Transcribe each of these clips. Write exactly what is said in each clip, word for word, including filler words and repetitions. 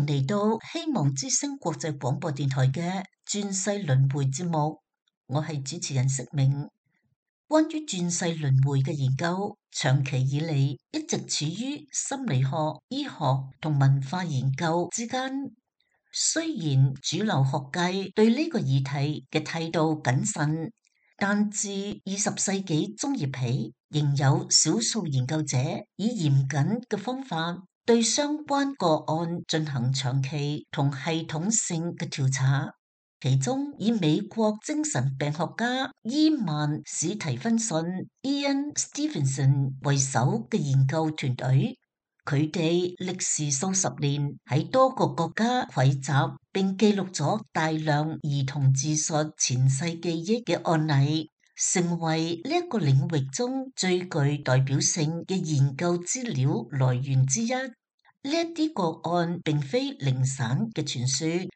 嚟到希望之聲國際廣播電台嘅轉世輪迴節目，我係主持人釋明。關於轉世輪迴嘅研究，長期以嚟一直處於心理學、醫學同文化研究之間。雖然主流學界對呢個議題嘅態度謹慎，但自二十世紀中葉起，仍有少數研究者以嚴謹嘅方法對相關個案進行長期同系統性嘅調查。其中以美國精神病學家伊曼史提芬遜 （Ian Stevenson） 為首嘅研究團隊，佢哋歷時數十年喺多個國家匯集並記錄咗大量兒童自述前世記憶嘅案例，成為呢一個領域中最具代表性嘅研究資料來源之一。呢一啲個案並非零散嘅傳說，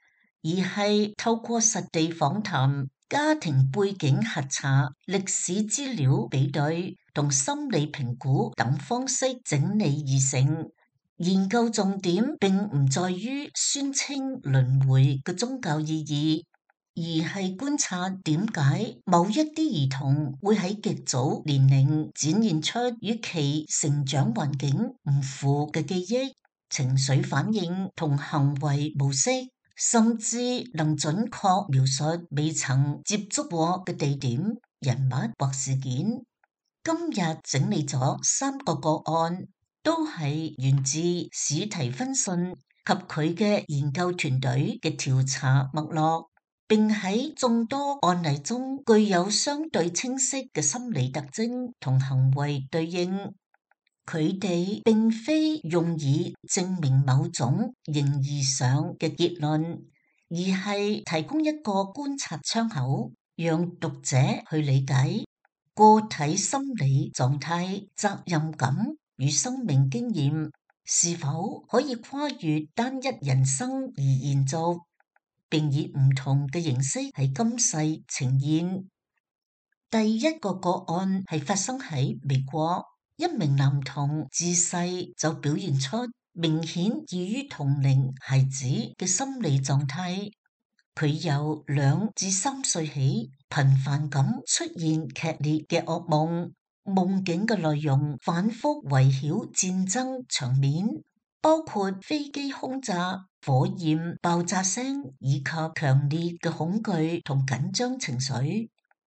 而係透過實地訪談、家庭背景核查、歷史資料比對同心理評估等方式整理而成。研究重點並唔在於宣稱輪迴嘅宗教意義，而係觀察點解某一啲兒童會喺極早年齡展現出與其成長環境唔符嘅記憶、情緒反應同行為模式，甚至能準確描述未曾接觸過嘅地點、人物或事件。今日整理咗三個個案，都係源自史提芬遜及佢嘅研究團隊嘅調查脈絡，並喺眾多案例中具有相對清晰嘅心理特徵同行為對應。佢哋並非用以證明某種形而上嘅結論，而係提供一個觀察窗口，讓讀者去理解個體心理狀態、責任感與生命經驗是否可以跨越單一人生而延續，並以唔同嘅形式喺今世呈現。第一個個案係發生喺美國。一名男童自細就表現出明顯異於同齡孩子嘅心理狀態，佢由兩至三歲起頻繁咁出現劇烈嘅噩夢，夢境嘅內容反覆圍繞戰爭場面，包括飛機轟炸、火焰爆炸聲以及強烈嘅恐懼同緊張情緒。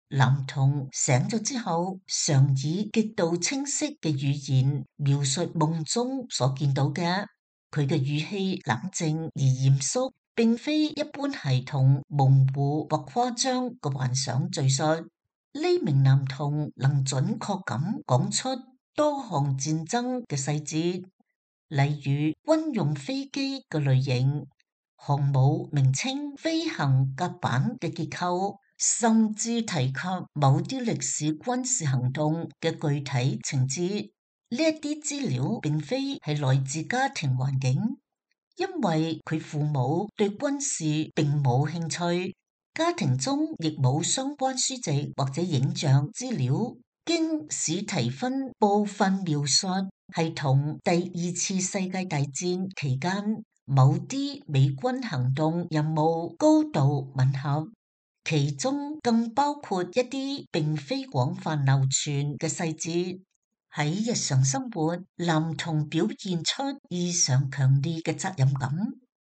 男童醒咗之後，常以極度清晰嘅語言描述夢中所見到嘅。佢嘅語氣冷靜而嚴肅，並非一般孩童模糊或誇張嘅幻想敘述。呢名男童能準確咁講出多項戰爭嘅細節，例如軍用飛機嘅類型、航母名稱、飛行甲板嘅結構，甚至提及某啲歷史軍事行動嘅具體情節。呢一啲資料並非係來自家庭環境，因為佢父母對軍事並冇興趣，家庭中亦冇相關書籍或者影像資料。經史提芬部分描述係同第二次世界大戰期間某啲美軍行動任務高度吻合。其中更包括一啲並非廣泛流傳嘅細節。喺日常生活，男童表現出異常強烈嘅責任感。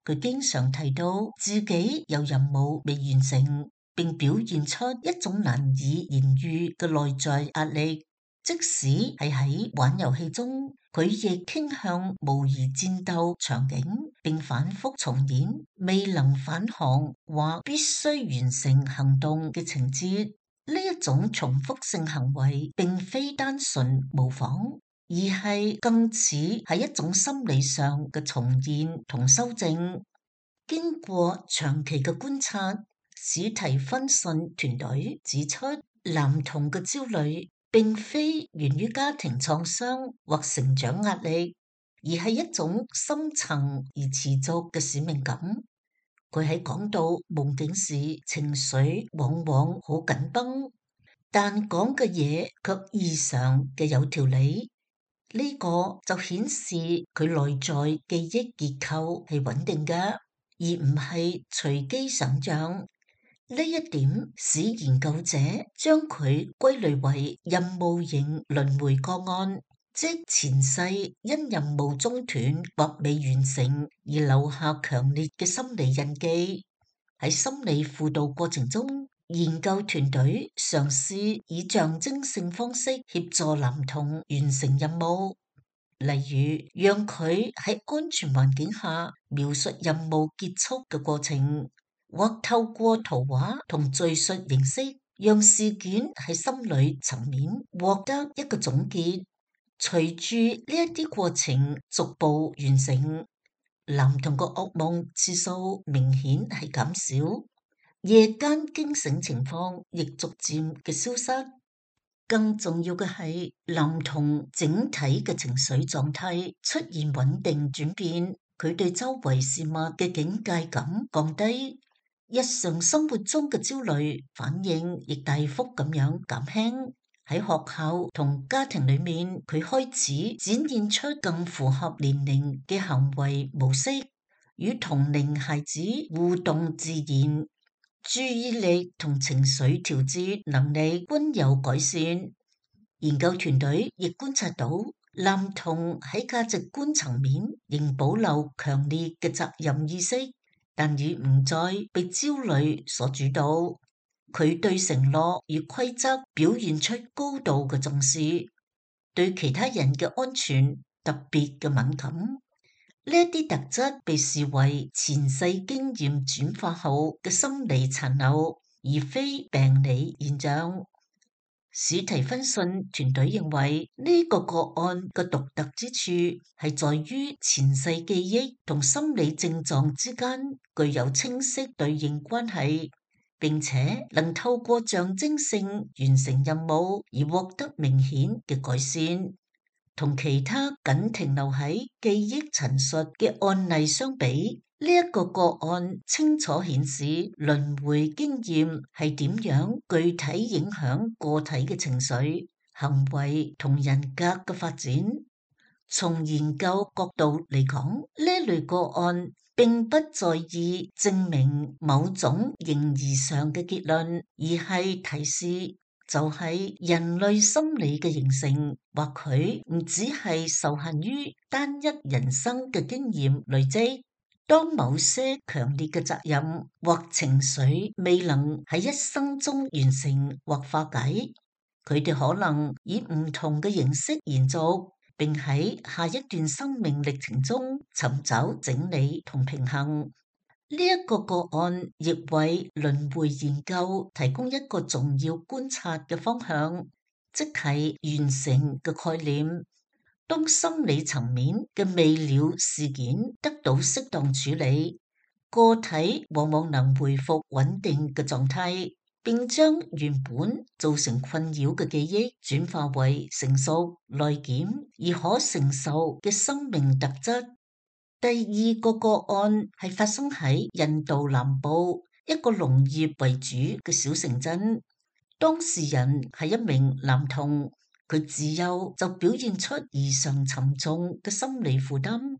佢經常提到自己有任務未完成，並表現出一種難以言喻嘅內在壓力。即使係喺玩遊戲中，佢亦傾向模擬戰鬥場景，並反覆重演未能返航或必須完成行動嘅情節。呢一種重複性行為並非單純模仿，而係更似係一種心理上嘅重現同修正。經過長期嘅觀察，史提芬遜團隊指出，男童嘅焦慮並非源於家庭創傷或成長壓力，而係一種深層而持續嘅使命感。佢喺講到夢境時，情緒往往好緊繃，但講嘅嘢卻異常嘅有條理。呢個就顯示佢內在記憶結構係穩定嘅，而唔係隨機想像。呢一點使研究者將佢歸類為任務型輪迴個案，即前世因任務中斷或未完成而留下強烈嘅心理印記。喺心理輔導過程中，研究團隊嘗試以象徵性方式協助男童完成任務，例如讓佢喺安全環境下描述任務結束嘅過程，或透過圖畫同敘述形式，讓事件喺心理層面獲得一個總結。隨住呢一啲過程逐步完成，男童個噩夢次數明顯係減少，夜間驚醒情況亦逐漸嘅消失。更重要嘅係，男童整體嘅情緒狀態出現穩定轉變，佢對周圍事物嘅警戒感降低，日常生活中嘅焦慮反應亦大幅咁樣減輕。喺學校同家庭裏面，佢開始展現出更符合年齡嘅行為模式，與同齡孩子互動自然，注意力同情緒調節能力均有改善。研究團隊亦觀察到，男童喺價值觀層面仍保留強烈嘅責任意識，但已唔再被焦慮所主導。佢對承諾與規則表現出高度嘅重視，對其他人嘅安全特別嘅敏感。呢一啲特質被視為前世經驗轉化後嘅心理殘留，而非病理現象。史提芬遜團隊認為呢個個案嘅獨特之處係在於前世記憶同心理症狀之間具有清晰對應關係，並且能透過象徵性完成任務而獲得明顯嘅改善。同其他僅停留喺記憶陳述嘅案例相比，呢一個個案清楚顯示輪迴經驗係點樣具體影響個體嘅情緒、行為同人格嘅發展。從研究角度嚟講，呢類個案並不在意證明某種形而上嘅結論，而係提示就係人類心理嘅形成，或許唔只係受限於單一人生嘅經驗累積。當某些強烈嘅責任或情緒未能喺一生中完成或化解，佢哋可能以唔同嘅形式延續，並喺下一段生命歷程中尋找整理同平衡。呢一個個案亦為輪迴研究提供一個重要觀察嘅方向，即係完成嘅概念。當心理層面嘅未了事件得到適當處理，個體往往能恢復穩定嘅狀態，並將原本造成困擾嘅記憶轉化為成熟、內檢而可承受嘅生命特質。第二個個案係發生喺印度南部一個農業為主嘅小城鎮，當事人係一名男童。佢自幼就表現出異常沉重嘅心理負擔，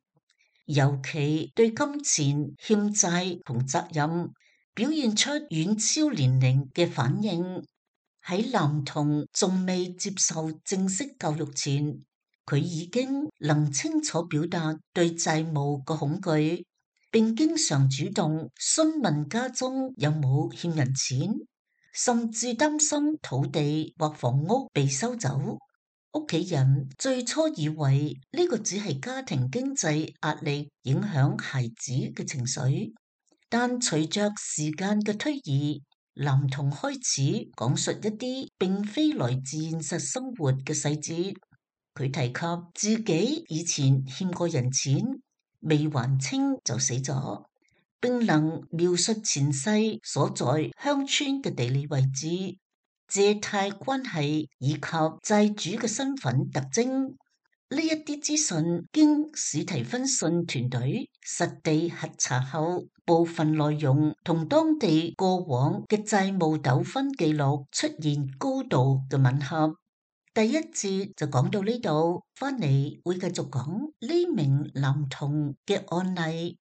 尤其對金錢、欠債同責任表現出遠超年齡嘅反應。喺男童仲未接受正式教育前，佢已經能清楚表達對債務嘅恐懼，並經常主動詢問家中有冇欠人錢，甚至擔心土地或房屋被收走。屋企人最初以為呢個只係家庭經濟壓力影響孩子嘅情緒，但隨着時間嘅推移，男童開始講述一啲並非來自現實生活嘅細節。佢提及自己以前欠過人錢，未還清就死咗，並能描述前世所在鄉村嘅地理位置、借貸關係以及債主嘅身份特徵。呢一啲資訊經史提芬遜團隊實地核查後，部分內容同當地過往嘅債務糾紛記錄出現高度嘅吻合。第一節就講到呢度，翻嚟會繼續講呢名男童嘅案例。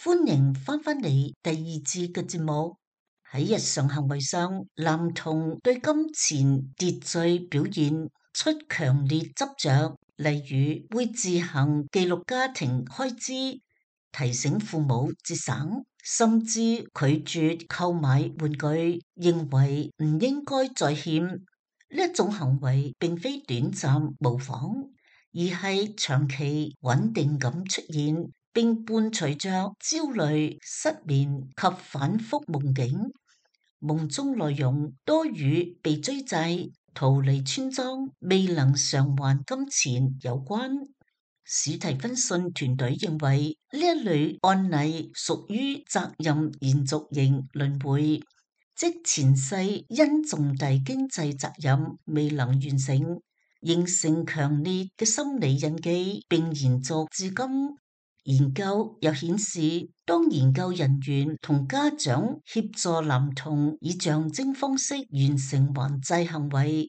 歡迎翻返嚟第二節嘅節目。喺日常行為上，男童對金錢秩序表現出強烈執着，例如會自行記錄家庭開支，提醒父母節省，甚至拒絕購買玩具，認為唔應該再欠。呢一種行為並非短暫模仿，而係長期穩定咁出現，並伴隨着焦慮、失眠及反覆夢境。夢中內容多與被追債、逃離村莊、未能償還金錢有關。史蒂芬遜團隊認為呢一類案例屬於責任延續型輪迴，即前世因重大經濟責任未能完成，形成強烈嘅心理印記，並延續至今。研究又顯示，當研究人員同家長協助男童以象徵方式完成還債行為，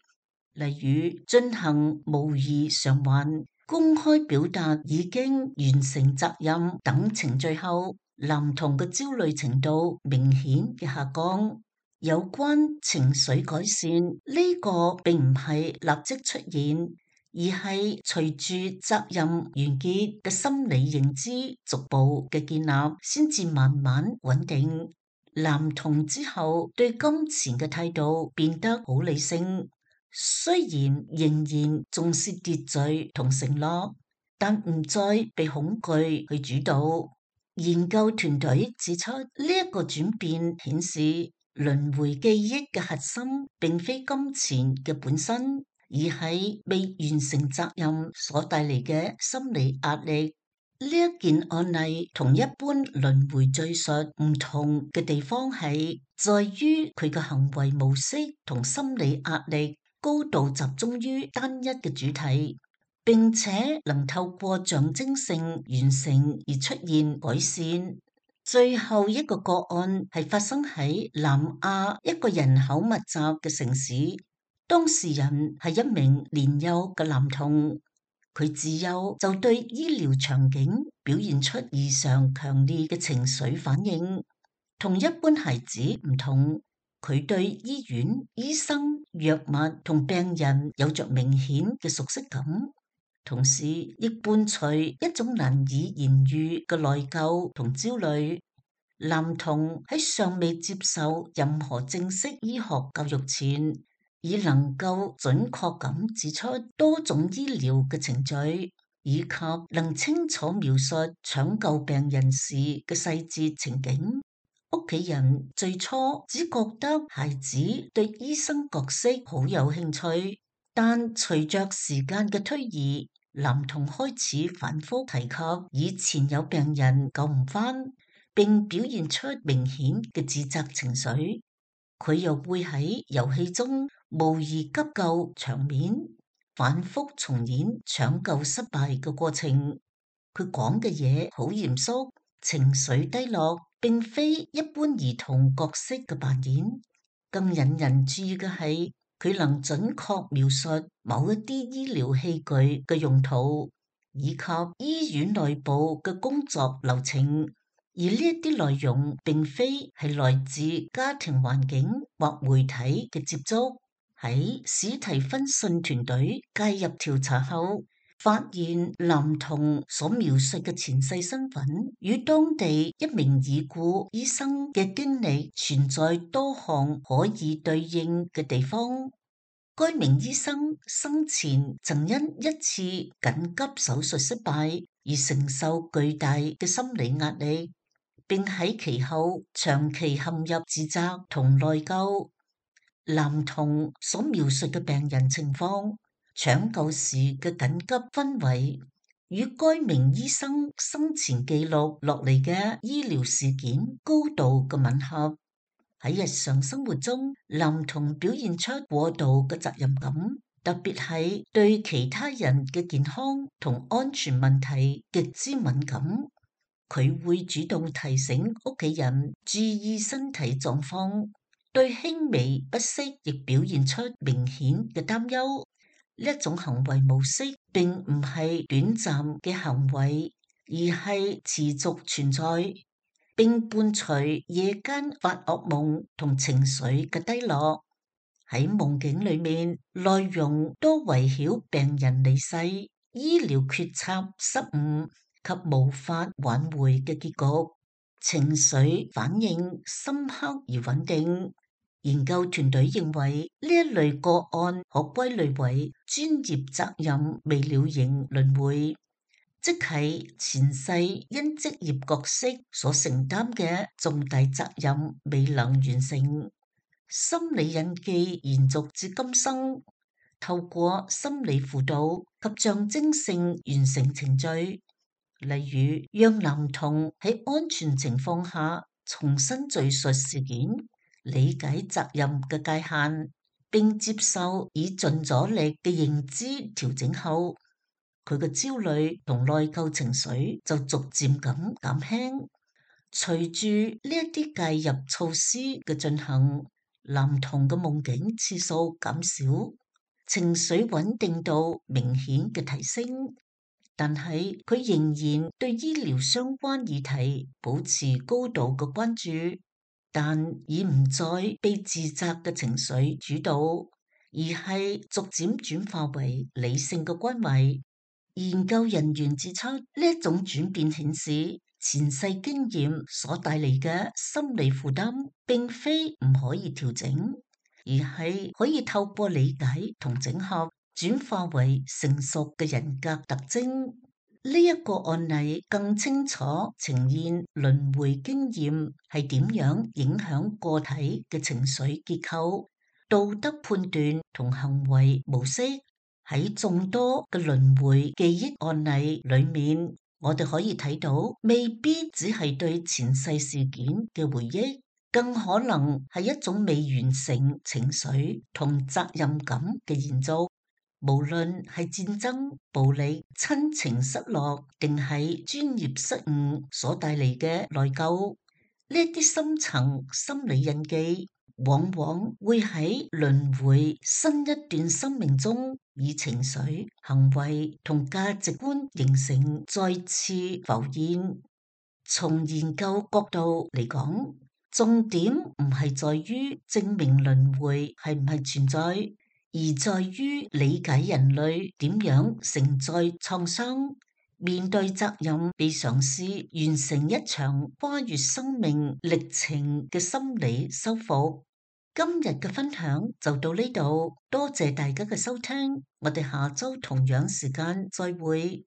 例如進行模擬償還、公開表達已經完成責任等程序後，男童嘅焦慮程度明顯嘅下降。有關情緒改善呢個並唔係立即出現，而係隨住責任完結嘅心理認知逐步嘅建立，先至慢慢穩定。男童之後對金錢嘅態度變得好理性，雖然仍然重視秩序同承諾，但唔再被恐懼去主導。研究團隊指出，呢一個轉變顯示輪迴記憶嘅核心並非金錢嘅本身，而係未完成責任所帶嚟嘅心理壓力。呢一件案例同一般輪迴敘述唔同嘅地方係在於佢嘅行為模式同心理壓力高度集中於單一嘅主題，並且能透過象徵性完成而出現改善。最後一個個案係發生喺南亞一個人口密集嘅城市，當事人係一名年幼嘅男童，佢自幼就對醫療場景表現出異常強烈嘅情緒反應，同一般孩子唔同，佢對醫院、醫生、藥物同病人有着明顯嘅熟悉感。同時亦伴隨一種難以言喻嘅內疚同焦慮。男童喺尚未接受任何正式醫學教育前，已能夠準確咁指出多種醫療嘅程序，以及能清楚描述搶救病人時嘅細節情景。屋企人最初只覺得孩子對醫生角色好有興趣，但隨着時間嘅推移，男童開始反覆提及以前有病人救唔返，並表現出明顯嘅自責情緒。佢又會喺遊戲中模擬急救場面，反覆重演搶救失敗嘅過程。佢講嘅嘢好嚴肅，情緒低落，並非一般兒童角色嘅扮演。更引人注意嘅係，佢能準確描述某一啲醫療器具嘅用途，以及醫院內部嘅工作流程，而呢一啲內容並非係來自家庭環境或媒體嘅接觸。喺史提芬遜團隊介入調查後，發現男童所描述嘅前世身份與當地一名已故醫生嘅經歷存在多項可以對應嘅地方。該名醫生生前曾因一次緊急手術失敗而承受巨大嘅心理壓力，並喺其後長期陷入自責同內疚。男童所描述嘅病人情況、搶救時嘅緊急氛圍，與該名醫生生前記錄落嚟嘅醫療事件高度嘅吻合。喺日常生活中，男童表現出過度嘅責任感，特別係對其他人嘅健康同安全問題極之敏感。佢會主動提醒屋企人注意身體狀況，對輕微不適亦表現出明顯嘅擔憂。呢一種行為模式並唔係短暫嘅行為，而係持續存在，並伴隨夜間發噩夢同情緒嘅低落。喺夢境裏面，內容多圍繞病人離世、醫療決策失誤及無法挽回嘅結局，情緒反應深刻而穩定。研究團隊認為呢一類個案可歸類為專業責任未了型輪迴，即係前世因職業角色所承擔嘅重大責任未能完成，心理印記延續至今生。透過心理輔導及象徵性完成程序，例如讓男童喺安全情況下重新敘述事件，理解責任嘅界限，並接受已盡咗力嘅認知調整後，佢嘅焦慮同內疚情緒就逐漸咁減輕。隨住呢一啲介入措施嘅進行，男童嘅夢境次數減少，情緒穩定度明顯嘅提升，但係佢仍然對醫療相關議題保持高度嘅關注。但已唔再被自責嘅情緒主導，而係逐漸轉化為理性嘅關懷。研究人員指出，呢一種轉變顯示前世經驗所帶嚟嘅心理負擔，並非唔可以調整，而係可以透過理解同整合，轉化為成熟嘅人格特徵。呢一個案例更清楚呈現輪迴經驗係點樣影響個體嘅情緒結構、道德判斷同行為模式。喺眾多嘅輪迴記憶案例裏面，我哋可以睇到，未必只係對前世事件嘅回憶，更可能係一種未完成情緒同責任感嘅延續。無論係戰爭、暴力、親情失落，定係專業失誤所帶嚟嘅內疚，呢啲深層心理印記，往往會喺輪迴新一段生命中，以情緒、行為同價值觀形成再次浮現。從研究角度嚟講，重點唔係在於證明輪迴係唔係存在，而在於理解人類點樣承載創傷，面對責任，被嘗試完成一場跨越生命歷程嘅心理修復。今日嘅分享就到呢度，多謝大家嘅收聽，我哋下周同樣時間再會。